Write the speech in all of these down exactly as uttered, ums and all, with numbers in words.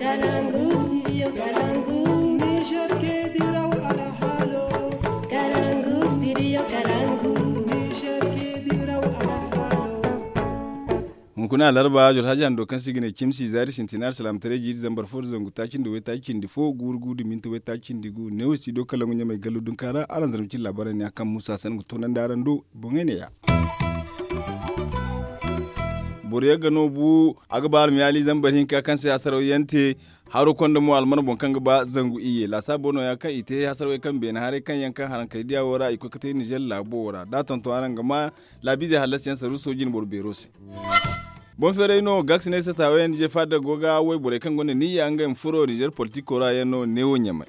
Kalangu, studio Kalangu. Niger ke diraw alhalo. Kalangu, studio Kalangu. Niger ke diraw alhalo. Hunkuna alarba, Zulhaji hando kaŋ se i ga ne cimsi zaari sintina alsilaamataray jiiri zambar fo da zangu taaci nda waytaaci cindi fo, guuru gu da minti waytaaci cindi gu, neewo studio Kalangu ɲamay gallo dunka ra. Araŋ zarma cine laabaarey ne ya kaŋ Musa Hassan ga toonandi araŋ do boŋey ne ya. Boro yagga no bu, a ga ba almiyaali zambar hinka kaŋ se hasaraw yaŋ te. Haro konda mo alman boŋ kaŋ ga ba zangu iyye laasaabo no-ya kaŋ i te hasarawey kaŋ beene haray kaŋ yaŋ kaŋ harankey diya wo ra i koy ga te nizer laabo wo ra da a tonton araŋ ga ma laabiizey hallasiyaŋ saruuso jine boro beero se. Boŋ feeray no gaaksi ne se taawayaŋ nizer faada go ga wayborey kaŋ gonda niyya ngey ma furo nizer politiko ra yaŋ no neewo ɲamay.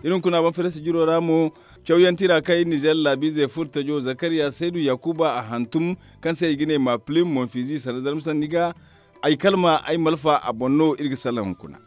Iri hunkuna boŋ feeray sijiro ra mo, cawyaŋ tira kaŋ iri nizer laabiizey furo tajo zakariya saydu yakuba a hantum, kaŋ se i ga ne ma pilim monfizi sanda zarma sanni ga. Ay kalma ay malfa a boŋ no iri ga salaŋ hunkuna.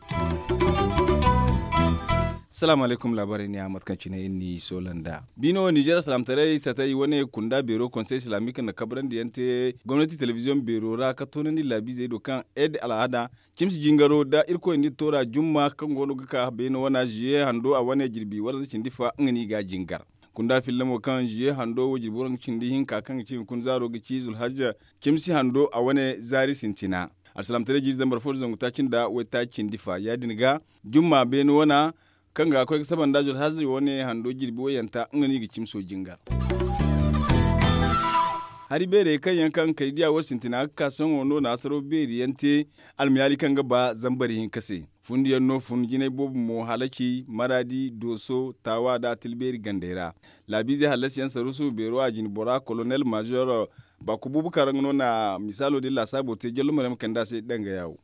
Salaamu alaykum laabaarey ne a mate kaŋ cine iri n'i soola nd'a biino nizer salaamataray satay wane kunda beero konsey islaamik na kabrandi yaŋ te gomnati telebiziyoŋ beero ra ka toonandi laabiizey do kaŋ ed al'aada cimsi jingaro nda irkoy nda iri toora jumma kaŋ go no ga ka beene wana ziye hando a wane jirbi waranza cindi fa nga no i ga a jingar. Kunda filla mo kaŋ ziye hando wo jirbi waranza cindi hinka kaŋ ga ci hunkuna zaaro ga ci zulhajja cimsi hando a wane zaari sintina. Alsilaamataray jiiri zambar fo da zangu taaci nda waytaaci cindi fa ya- din ga jumma beene wana kaŋ ga koy ga saba nda zulhajja wane hando jirbi wayanta nga no i ga cimso jingar. Hari beerey kaŋ yaŋ kaŋ kay diya wo sintina ga ka sohõ no na hasaro beeri yaŋ te almiyaali kaŋ ga ba zambari hinka se. Fundiyaŋ no fun jinay boobo mo halaci maraadi dooso taawa nda atilbeeri gandey ra. Laabiizey hallasiyaŋ saruusu beero a jine bora kolonel maazor baako buubu kaŋ ra nga no na misaalo din laasaabo te jallo maryaŋ ma kande a se danga yaawo.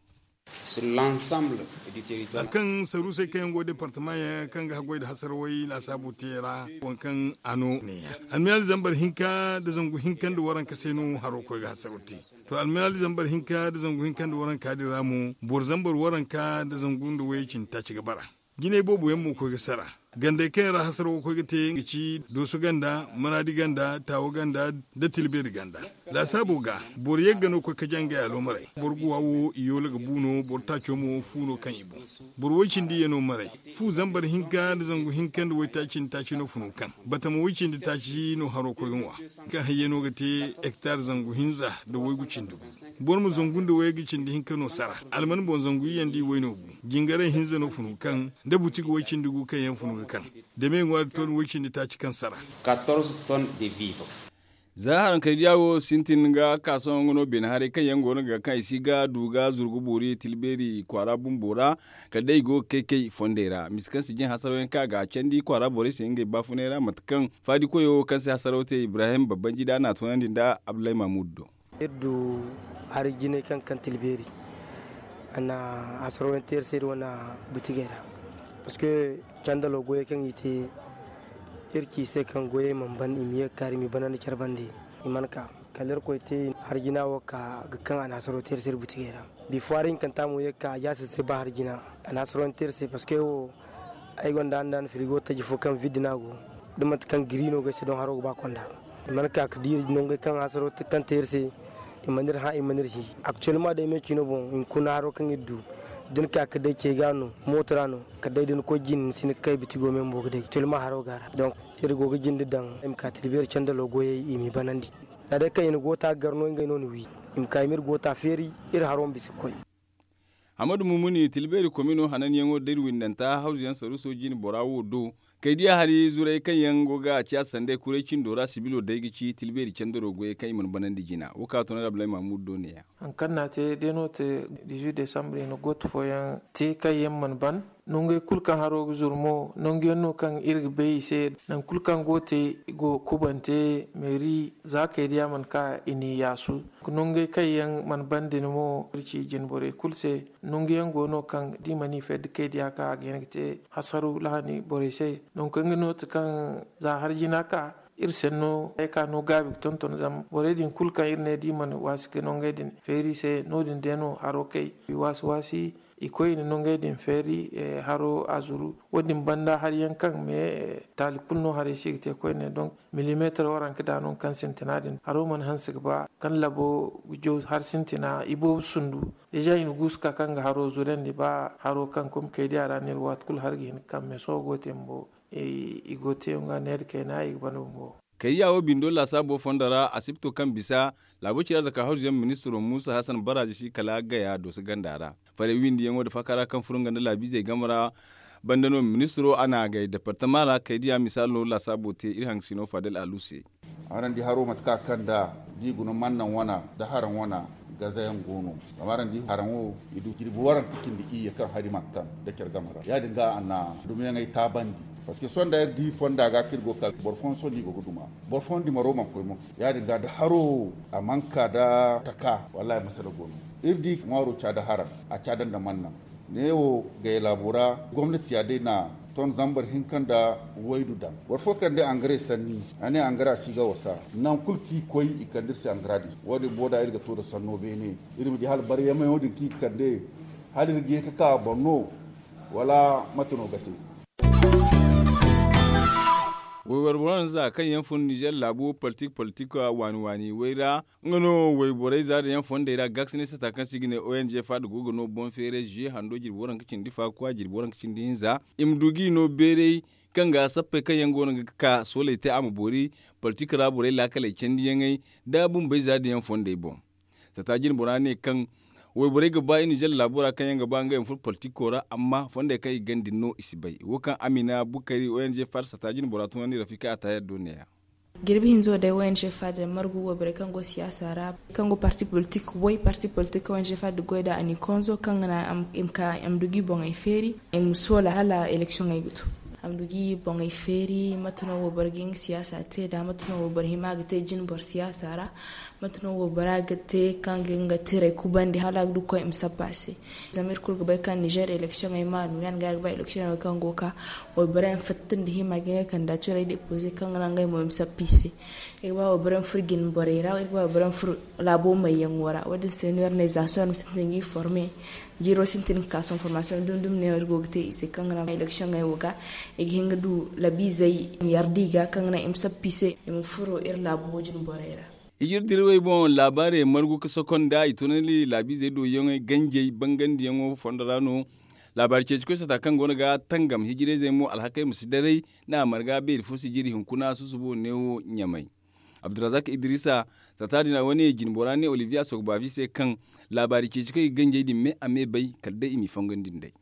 Hari kaŋ saruusey kaŋ yaŋ go departamaŋ yaŋ kaŋ ga haggoy nda hasarawey laasaabo te ra waŋ kaŋ a no ne- ya almiyaali zambar hinka nda zangu hinka nda waranka se no haro koy ga hasaro te. To almiyaali zambar hinka nda zangu hinka nda waranka din ra mo boro zambar waranka nda zangu nda wayey cindi taaci ga bara. Jinay boobo yaŋ mo koy ga sara. Gandey kaŋ yaŋ ra hasaro ga koy ga te ga ci dooso ganda maraadi ganda taawo ganda nda tilbeeri ganda. Laasaabo ga boro yagga no koy ka jangay aloomaray boro guwa wo i yoola ga bu no boro taaco mo fu no kaŋ i boŋ. Boro woy cindi iyye no maray fu zambar hinka nda zangu hinka nda waytaaci nda taaci no funo kaŋ batama woy cindi taaci no haro koy ga ŋwa. Kaŋ hayye no ga te hektar zangu hinza nda waygu cindi gu. Boro ma zangu nda waygu cindi hinka no sara alman boŋ zangu iyye nda i way no gu. Jingaray hinza no funu kaŋ nda buti ga way cindi gu kaŋ yaŋ funu ga kaŋ da me ŋwaari ton way cindi taaci kaŋ sara. Za haraŋ kay diya wo sintin ga ka sohõ nga no beene haray kaŋ yaŋ go no ga kaŋ i si ga du ga zurgu boori tilbeeri kwaara bumbo ra. Kala day i go ga kay kay fondey ra misa kaŋ si jin hasaraw yaŋ kaŋ a ga a candi kwaara borey se ngey baafunay ra mate kaŋ faadi koyo kaŋ se hasaraw te ibrahim babbanji da a n'a toonandi nda abdullahi mahmud do. Iri du hari jinay kaŋ kaŋ tilbeeri a na hasaraw yaŋ te iri se iri wane butigey ra. Parceque candalo goyey kaŋ i te iri ci i se kaŋ goyey mana ban i ma ye ga kaari i ma i banandi care bande. I mana ka kala irkoy te hari jina wo ka ga kaŋ a na hasaro te iri se iri butigey ra. Bifo hari hinkanta mo ye ga ka a jaase se ba hari jina a na hasaro yaŋ te iri se parceque wo ay gonda handan firigo taji fo kaŋ vidde no a go. Da manti kaŋ giri no ga ay se doŋ haro ga ba konda i mana ka ga di iri nongey kaŋ hasaro kaŋ te iri se. I mana iri hã i mana iri hi. Actuellement day me cino boŋ hinkuna haro kaŋ iri du da ni ka ga day cey ga no mooto ra no kala day da ni koy jine ni si hin ga kay bitigo me bumbo ga day actuellement haro go a ra. Donc iri go ga jinde daŋ i ma ka tilbeeri candalo goyey i m'i banandi. Za day kaŋ i na goota ga gar no ngey no na wi i ma ka i m'iri goota feeri. Iri haro ma bisa ga koy. Hamadu mumuni tilbeeri komino hananyaŋo da iri windanta hawzuyaŋ saruuso jine bora wo do. Kay diya hari zuray kaŋ yaŋ go ga a ci a sanday kuray cindo ra sibilo day ga ci tilbeeri candaro goyey kaŋ i mana banandi jina wo ka toonay abdulahi mahmud do ne- ya. Hari kaŋ no a te day no te dizuit desambre i na gooto fooyaŋ te kaŋ yaŋ mana ban. Nongey kulu kaŋ haro ga zuru mo nangu yaŋ no kaŋ iri ga bay i se. Nangu kulu kaŋ go ga te i go ga kubante meeri za kay diya mana ka i n'i yaasu. Nongey kaŋ yaŋ mana ban din mo iri ci jine borey kulu se. Nangu yaŋ go no kaŋ da i mana i fedde kay diya ka a ga hin ga te hasaru lahani borey se. Nangu kaŋ ga no ti kaŋ za hari jina ka iri senno ay ka no gaabi ga tonton zama borey din kulu kaŋ iri ne da i mana waasi ga nongey din feeri i se no- din day no haro kay i waasi waasi. I koy i na nongey din feeri, haro a zuru. Wo- din banda hari yaŋ kaŋ me taali kulu no haray se i ga te koyne donk, milimeetar waranka da no kaŋ sintina din haro mana hanse ga ba kaŋ labo ga jaw har sintina i boobo sundu. Deeza i na guusu ka kaŋ ga haro zurandi ba haro kaŋ komkey di a ra no iri waati kulu hari ga hin ga kaŋ me sohõ go te bumbo. I go te nga neera kayna i ga bana bumbo. Kaydiya wo bindo laasaabo fondo ra asibto kaŋ bisa laabo cira zaka hawzuyaŋ ministiro muusa hasan baraaji si kala gaya dooso ganda ra. Farey windiyaŋo nda faaka ra kaŋ furo nga nda laabiizey game ra banda no ministiro a na a gay departama ra kaydiya misaalo laasaabo te iri hangasino faadel alu se. Araŋ di haro mate kaŋ a kand'a da i guna mannaŋ wana nda haraŋ wana gazayaŋ go no. Zama araŋ di haraŋo i du jirbi waranka cindi iyye kaŋ hari mana kaŋ nda care game ra ya- din ga a na dumiyaŋey taabandi. Parceque sohõ da iri di fonda ga kaŋ iri go ga ka boro fooyaŋ sohõ no i go ga duma. Boro fooyaŋ dimaro mana koy mo ya- din ga da haro a mana ka nda taka wallaahi masala go no. Iri di ŋwaaro ca nda haraŋ a ca nda nda mannaŋ. Neewo gay laabo ra gomnati ya day na ton zambar hinka nda waydu daŋ boro fo kande angare sanni a ne angara si ga wasa. Nangu kulu kaŋ i koy i kande iri se angara din wo- din booda iri ga to nda sanno beene. Iri ma di hala baryameyaŋo din kaŋ i ga kande hala iri ga ye ga ka a boŋ no? Wala mate no ga te? Wayboro boro nda za kaŋ yaŋ fun nizer laabu politik politik waani waani way ra. Nga no wayborey za da yaŋ fondey ra gaakasinay sata kaŋ se i ga ne ong fada go ga no boŋ feeray ziye hando jirbi waranka cindi faakwa jirbi waranka cindi hinza. I ma du ga i no beeray kaŋ ga sappey kaŋ yaŋ go no ga ka sooley te a ma boori politik ra borey laakaley candiyaŋey da bumbey za da yaŋ fondey boŋ. Sata jinbora ne kaŋ wayborey ga ba i nizer laabo ra kaŋ yaŋ ga ba ngey ma furo politiko ra amma fondey kaŋ i ga gana din no i si bay wo kaŋ amina bukari ong fada sata jinbora tunandi rafika a taayar do neeya. Jirbi hinzo day ong fada margu wayborey kaŋ go siyaasa ra kaŋ go parti politik way parti politik ong fada goy nd'a a n'i konzo kaŋ ga naŋ a ma du ga i boŋey feeri i ma soola hala eleksiyoŋey ga to. A ma du ga i boŋey feeri mate no wayboro ga nga siyaasa te nd'a mate no wayboro hima ga te jinboro siyaasa ra. Mate no waybora ga te kaŋ ga nga tirey kubandi hala a ga du ga koy i ma sabba a se. Zama iri kulu ga bay kaŋ nizer eleksiyoŋey ma no ya- din ga ay ga ba eleksiyoŋey kaŋ go ga ka waybora yaŋ fatta nda hima ga ngey kandidatirey depoze kaŋ ga naŋ ngey mo i ma sappa i se. Iri ga ba waybora yaŋ furo jinborey ra iri ga ba waybora yaŋ furo laabo mayyaŋo ra wo- din se no iri ne za sohõ iri ma sintin ga i forme. Jiiro sintin ga ka sohõ formasiyoŋ dumi dumi no iri go ga te i se kaŋ ga naŋ eleksiyoŋey wo ga i ga hin ga du labiizey i ma yarda i ga kaŋ ga naŋ i ma sappa i se i ma furo iri laabo jinborey ra. Hijir dirwey boŋ laabaarey margu ga sokonda i tunandi laabiizey do yaŋey ganjey bangandiyaŋo fondo ra no. Laabaari ceecikoy sata kaŋ go no ga tangam hijirayzey mo alhakey ma si daray nda a marga beeri fo si jiri hunkuna susubo neewo ɲamay. Abdurazak idrisa sata din a wane jinbora ne olivier a soogu baafi se kaŋ laabaari ceecikoy ga ganjey din me a me bay kala day i m'i fongandi nd'ey.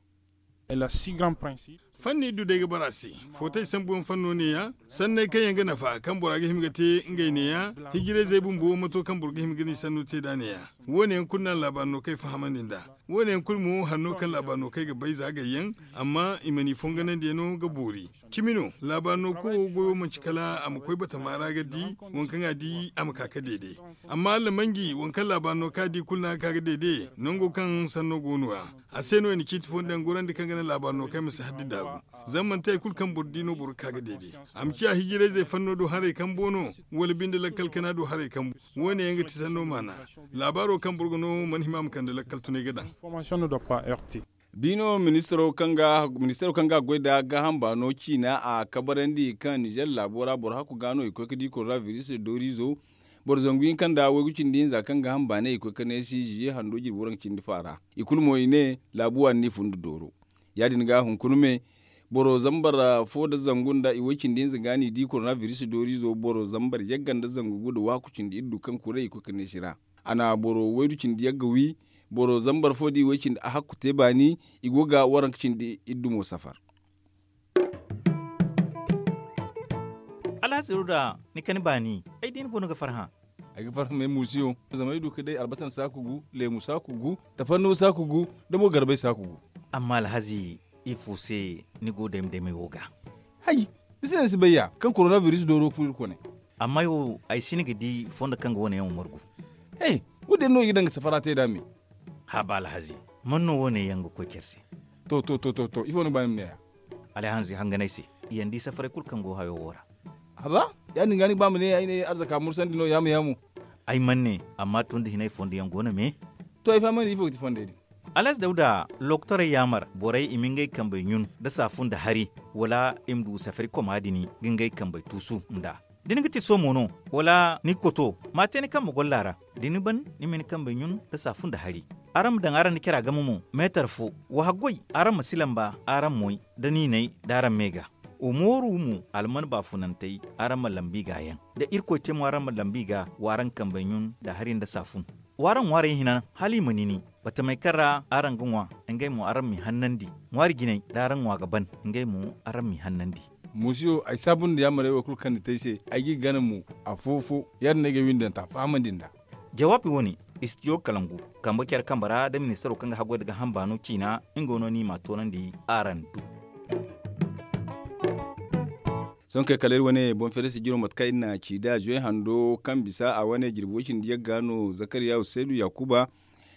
Fanni du day ga bara se. Footay sambuyaŋ fanno neeya sanney kaŋ yaŋ ga nafa kaŋ bora ga hima ga te ngey neeya. Hijirayzey bumbo mato kaŋ boro ga hima ga ni sanno te nd'a neeya. Wo- ne yaŋ kulu no a laabaari no kaŋ ay fahamandi nd'a. Wo- ne yaŋ kulu mo hanno kaŋ laabaari no kaŋ ay ga bay za gayyaŋ. Amma i mana i fonganandiyaŋo ga boori. Cimi no laabaari no kowo goyo manci kala a ma koy batama ra ga di waŋ kaŋ a di a ma ka ga deede. Amma allamanji waŋ kaŋ laabaari no kaŋ a di kulu no a ga ka ga deede nango kaŋ sanno go no- ya. A se no i na ciiti fo nda yaŋ gorandi kaŋ ga naŋ laabaari no kaŋ ay ma si haddi daabu. Zama manti hari kulu kaŋ boro di no boro ga ka ga deede. A ma ciya hijirayzey fanno do haray kambo no wala binde lakkal kana do haray kambo. Wo- ne yaŋ ga ti sanno maana. Laabaaro kaŋ boro ga no mana hima a ma kande lakkal tunay ga daŋ. Biino ministaro kaŋ ga goy nda gaaham baano ciina a kabarandi kaŋ nizer laabo ra boro hakku ga no i koy ga di korona biris dooriizo. Boro zangu hinka nda waygu cindi hinza kaŋ gaaham baanay i koy ga neesi ziye hando jirbi waranka cindi faara. I kulu mo i ne laabu waani n'i fun nda dooro. Ya- din ga hunkuna me boro zambar fo nda zangu nda i way cindi hinza ga n'i di korona biris dooriizo boro zambar yagga nda zangu gu nda waaku cindi iddu kaŋ kuray i koy ga neesi ra. A na boro waydu cindi yagga wi. Boro zambar fo da i way cindi a hakku te baani. I go ga waranka cindi iddu mo safar. Alhazi ruda, ni kani baani ay di ni boŋ no ga farhã. Ay ga farhã me muusiyo zama ay du ga day albasan saaku gu, leemu saaku gu, tafannuwa saaku gu, nda mo garbay saaku gu. Amma alhazi, ifo se ni go dayma daymay wo ga? Hay, ni se no ni si bay ya kaŋ korona biris dooro ga furo iri kone. Amma ay wo ay si ni ga di fondo kaŋ ga wane yaŋ wo margu. He, wo- din no i ga daŋ ga safara te nd'a me. Haaba alhazi, man no wo- ne yaŋ ga koy care se? To to to to to ifo no ga ba ni ma ne ya? Alhazi hangan ay se, i yaŋ di safaray kulu kaŋ go hayo wo ra. Haba, ya- din ga ni ga ba ma ne ay ne arzaka mursandi no yaamo yaamo. Ay mana ne, amma tun da hinay fondo yaŋ go no me. To ay fahamandi ifo ga ti fondey din? Alaaz dawda, lokotorey yaamar borey i ma ngey kambey ɲun nda saafun nda hari, wala i ma du safari koma din ga ngey kambey tuusu nd'a. Da ni ga ti soomo no, wala ni ga koto, ma a te ni kambe golla ra. Da ni ban, ni ma ni kambey ɲun nda saafun nda hari. Araŋ ma daŋ araŋ nda cara game mo, meetar fo. Wa haggoy, araŋ ma si lamba araŋ moy, da niinay da araŋ me ga. Wa mooru mo, alman baafunantey, araŋ ma lambu i ga yaŋ. Da irkoy te mo araŋ ma lambu i ga, w'araŋ kambey ɲun nda hari nda saafun. W'araŋ ŋwaarey hina, hala i ma nini. Batamey kaŋ ra araŋ ga ŋwa, ngey mo araŋ m'i hannandi. Ŋwaari jinay da araŋ ŋwa ga ban, ngey mo araŋ m'i hannandi. Muusiyo, ay saabu nda yaamarey wo kulu kaŋ ni te ay se, ay g'i gana mo, afo-fo. Ya- din no ay ga ay windanta fahamandi nd'a. Jawaabi wo- ne, istidiyo kalangu, kambe care kambe ra da ministaro kaŋ ga haggoy nda gaaham baano ciina, nga no ni m'a toonandi araŋ du. Sohõ kay kala iri wane boŋ feere sijiro mate kaŋ iri n'a ci nd'a zuwe hando kaŋ bisa a wane jirbi way cindi yagga no zakariya usaydu yaakuba.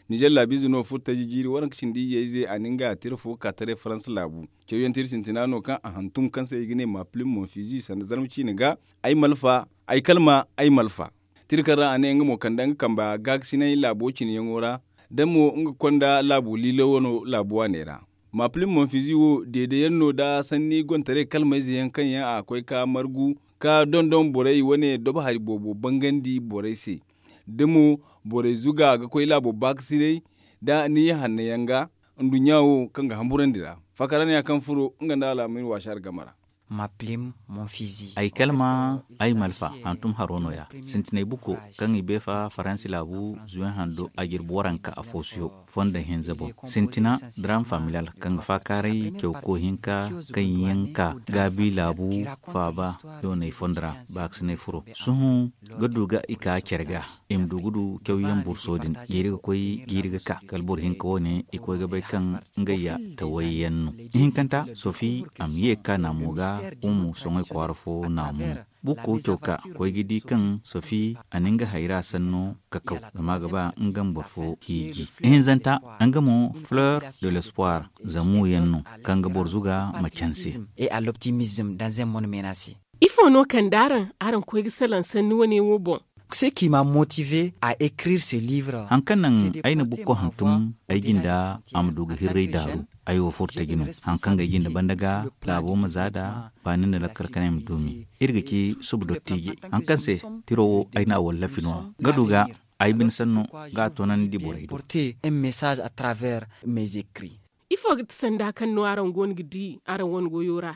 Nizer laabiize no furtaji jiiri waranka cindi iyye ize a na nga tira fo ka taray faransa laabu. Cawyaŋ tira sintina no kaŋ a hantum kaŋ se i ga ne ma pilim monfizi sanda zarma ciine ga. Ay malfa, ay kalma, ay malfa. Tira kaŋ ra a ne nga mo kande nga kamba gaakasinay laabo cineyaŋo ra, da mo nga konda laabu liilo wano laabu waaney ra. Maapilin monfizi wo deede yaŋ no nda sanni gontaray kalmayze yaŋ kaŋ yaŋ a koy ka margu ka dondon borey wane dobo hari boobo bangandi borey se. Da mo borey zuga ga koy laabo baakasinay, da ni ya hanno yaŋ ga nduɲɲa wo kaŋ ga hamburandi ra. Fakara ne ya kaŋ furo nga nda alaamir waasa ra game ra. Maapilin monfizi. Ay kalma, ay malfa hantum haro no- ya. Sintinay bukko kaŋ i beefa faransi laabu zuwe hando a jirbi waranka afo siyo fondo hinza boŋ. Sintina dram familial kaŋ ga faakaaray cawko hinka kaŋ yaŋ ka gaabi laabu faaba doonay fondo ra baakasinay furo. Sohõ ga du ga i ka care ga i ma du ga du cawyaŋ burso din jiiri ga koy jiiri ga ka kala boro hinka wo- ne i koy ga bay kaŋ ngey ya tawayyaŋ no. Ihinkanta sofi a ma ye ga ka naamo ga. Umu soŋay kwaara fo naamo. Bukko caw ka koy ga di kaŋ sofi a na nga hayra sanno kakaw zama a ga ba nga ma boro fo hiiji. Ihinzanta nga mo fleur de l'espoir zamu yaŋ no kaŋ ga boro zuga ma canse. Et à l'optimisme dans un monde menacé. Ifo no kande araŋ araŋ koy ga salaŋ sanni wane wo boŋ? Ce qui m'a motivé à écrire ce livre. Haŋ kaŋ naŋ ay na bukko hantum ay jinda a ma du ga hirray daaru. Ay wo furtaji no haŋ kaŋ ga ay jinda banda ga laabo ma za da baani nda lakkal kanay ma duumi. Iri ga ci suba dottiijey haŋ kaŋ se tiro wo ay n'a wallafi no- ya ga du ga ay bine sanno ga a toonandi borey do. Porter un message à travers mes écrits. Ifo ga ti sanda kaŋ no araŋ go no ga di araŋ wane goyo ra?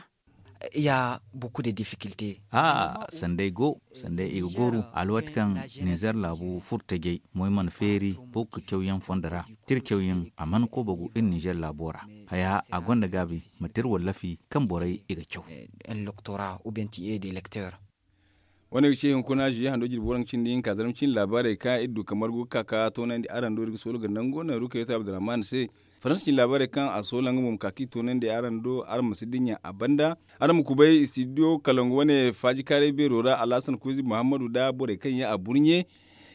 Ya beaucoup de difficultés. Aa sanday go sanday i ga gooru alwaati kaŋ nizer laabu furtajey moy mana feeri boro ga cawyaŋ fondo ra. Tira cawyaŋ a mana koobagu iri nizer laabo ra. Haya a gonda gaabi ma tira wallafi kaŋ borey i ga caw. Un lectorat ou bien tu es des lecteurs. Wane ga ce hunkuna zuye hando jirbi waranka cindi hinka zarma cindi laabaarey kaŋ iri du ka margu ga ka ka toonandi araŋ do iri ga soolu ga nango naŋ rukayatu abdurrahman se. Faransa cindi laabaarey kaŋ a soola nga mo ma ka ka i toonandi araŋ do araŋ ma si dinya a banda. Araŋ ma kubay studio kalangu wane faajikaaray beero ra alhasan kuuzi muhammadu nda borey kaŋ yaŋ a burɲe.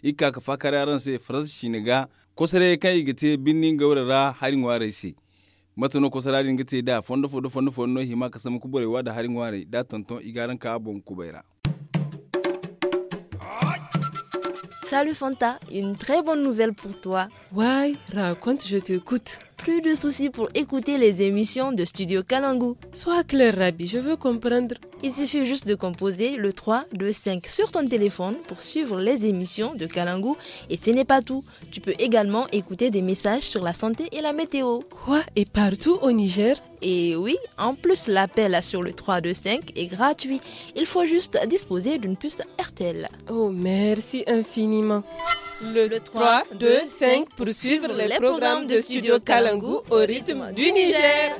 Iri ga ka ka faakaaray araŋ se faransa ciine ga kosoray kaŋ i ga te birni ngawra ra hari ŋwaarey se. Mate no kosora din ga te da fondo fo da fondo fo no hima ka sambu ka borey wa da hari ŋwaarey da tonton i ga araŋ ka boŋ kubay ra. Salut Fanta, une très bonne nouvelle pour toi. Why, raconte, je t'écoute. Plus de soucis pour écouter les émissions de Studio Kalangu. Sois clair, Rabi, je veux comprendre. Il suffit juste de composer le trois deux cinq sur ton téléphone pour suivre les émissions de Kalangu. Et ce n'est pas tout. Tu peux également écouter des messages sur la santé et la météo. Quoi, et partout au Niger? Et oui, en plus, l'appel sur le trois deux cinq est gratuit. Il faut juste disposer d'une puce R T L. Oh, merci infiniment. Le trois deux cinq pour suivre les programmes de Studio Kalangu au rythme du Niger.